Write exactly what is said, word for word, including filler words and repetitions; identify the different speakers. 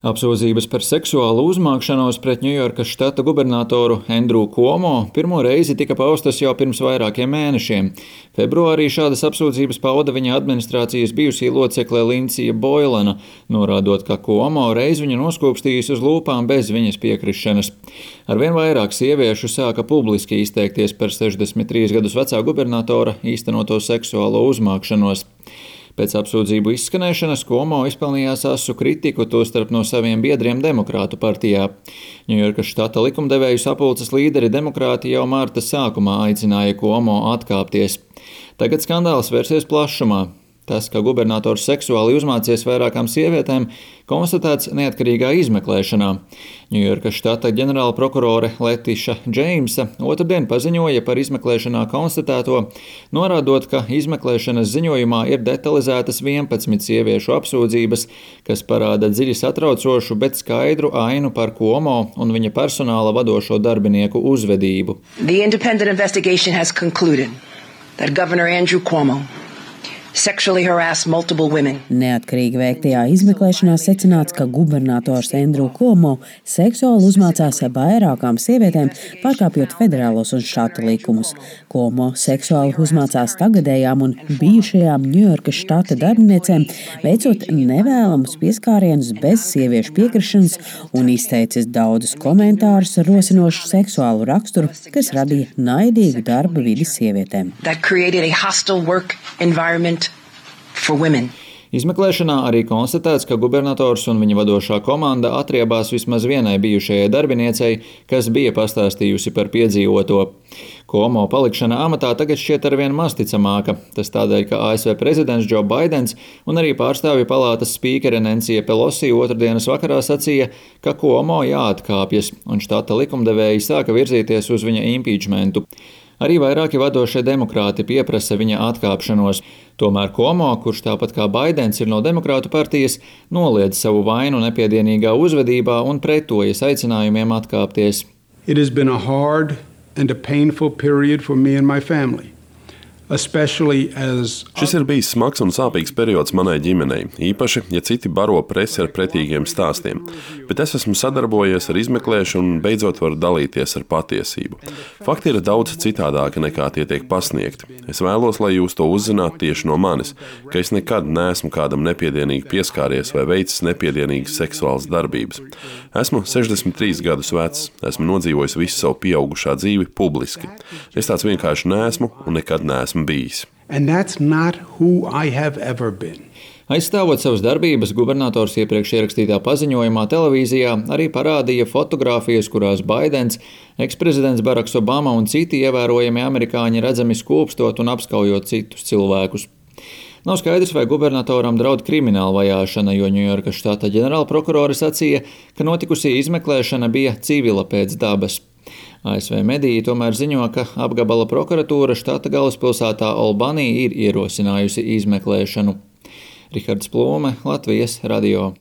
Speaker 1: Apsūdzības par seksuālu uzmākšanos pret Ņujorkas štata gubernatoru Endrū Kuomo pirmo reizi tika paustas jau pirms vairākiem mēnešiem. Februārī šādas apsūdzības pauda viņa administrācijas bijusī locekle Lindsija Boilena, norādot, ka Kuomo reiz viņu noskūpstījis uz lūpām bez viņas piekrišanas. Arvien vairāk sieviešu sāka publiski izteikties par sešdesmit trīs gadus vecā gubernatora īstenoto seksuālo uzmākšanos. Pēc apsūdzību izskanēšanas Kuomo izpelnījās asu kritiku, tostarp no saviem biedriem Demokrātu partijā. Ņujorkas štata likumdevēju sapulces līderi demokrāti jau mārta sākumā aicināja Kuomo atkāpties. Tagad skandāls vērsies plašumā. Tas, ka gubernators seksuāli uzmācies vairākām sievietēm, konstatēts neatkarīgā izmeklēšanā. Ņujorkas štata ģenerāla prokurore Letiša Džeimsa otrdien paziņoja par izmeklēšanā konstatēto, norādot, ka izmeklēšanas ziņojumā ir detalizētas vienpadsmit sieviešu apsūdzības, kas parāda dziļi satraucošu, bet skaidru ainu par Kuomo un viņa personāla vadošo darbinieku uzvedību.
Speaker 2: The independent investigation has concluded that Governor Andrew Cuomo sexually harassed multiple women.
Speaker 3: Neatkarīgi veiktajā izmeklēšanā secināts, ka gubernators Endrū Kuomo seksuāli uzmācās vairākām sievietēm, pārkāpjot federālos un štata likumus. Kuomo seksuāli uzmācās tagadējām un bijušajām Ņujorkas štata darbiniecēm, veicot nevēlamus pieskārienus bez sieviešu piekrišanas un izteicis daudzus komentārus ar rosinošu seksuālu raksturu, kas radīja naidīgu darba vidi sievietēm.
Speaker 2: That created a hostile work environment for women.
Speaker 1: Izmeklēšanā arī konstatēts, ka gubernators un viņa vadošā komanda atriebās vismaz vienai bijušajai darbiniecei, kas bija pastāstījusi par piedzīvoto. Kuomo palikšana amatā tagad šķiet arvien masticamāka. Tas tādēļ, ka A S V prezidents Džo Baidens un arī pārstāvju palātas spīkere Nensija Pelosi otrdienas vakarā sacīja, ka Kuomo jāatkāpjas, un štata likumdevēji sāka virzīties uz viņa impeachmentu. Arī vairāki vadošie demokrāti pieprasa viņa atkāpšanos. Tomēr Kuomo, kurš tāpat kā Baidens ir no Demokrātu partijas, noliedz savu vainu nepiedienīgā uzvedībā un pretojas aicinājumiem atkāpties.
Speaker 4: It has been a hard and a painful period for me and my family. As...
Speaker 5: Šis ir bijis smags un sāpīgs periods manai ģimenei, īpaši, ja citi baro presi ar pretīgiem stāstiem. Bet es esmu sadarbojies ar izmeklēšanu un beidzot varu dalīties ar patiesību. Fakti ir daudz citādāki nekā tie tiek pasniegti. Es vēlos, lai jūs to uzzinātu tieši no manis, ka es nekad neesmu kādam nepiedienīgi pieskāries vai veicis nepiedienīgas seksuālas darbības. Esmu sešdesmit trīs gadus vecs, esmu nodzīvojis visu savu pieaugušā dzīvi publiski. Es tāds vienkārši neesmu un nekad neesmu bijis.
Speaker 1: Aizstāvot savas darbības, gubernators iepriekš ierakstītā paziņojumā televīzijā arī parādīja fotogrāfijas, kurās Baidens, eksprezidents Baraks Obama un citi ievērojami amerikāņi redzami skūpstot un apskaujot citus cilvēkus. Nav skaidrs, vai gubernatoram draud krimināla vajāšana, jo Ņujorkas štata ģenerālprokurore sacīja, ka notikusī izmeklēšana bija civila pēc dabas. A S V mediji tomēr ziņo, ka apgabala prokuratūra štata galvaspilsētā Albany ir ierosinājusi izmeklēšanu. Rihards Plūme, Latvijas radio.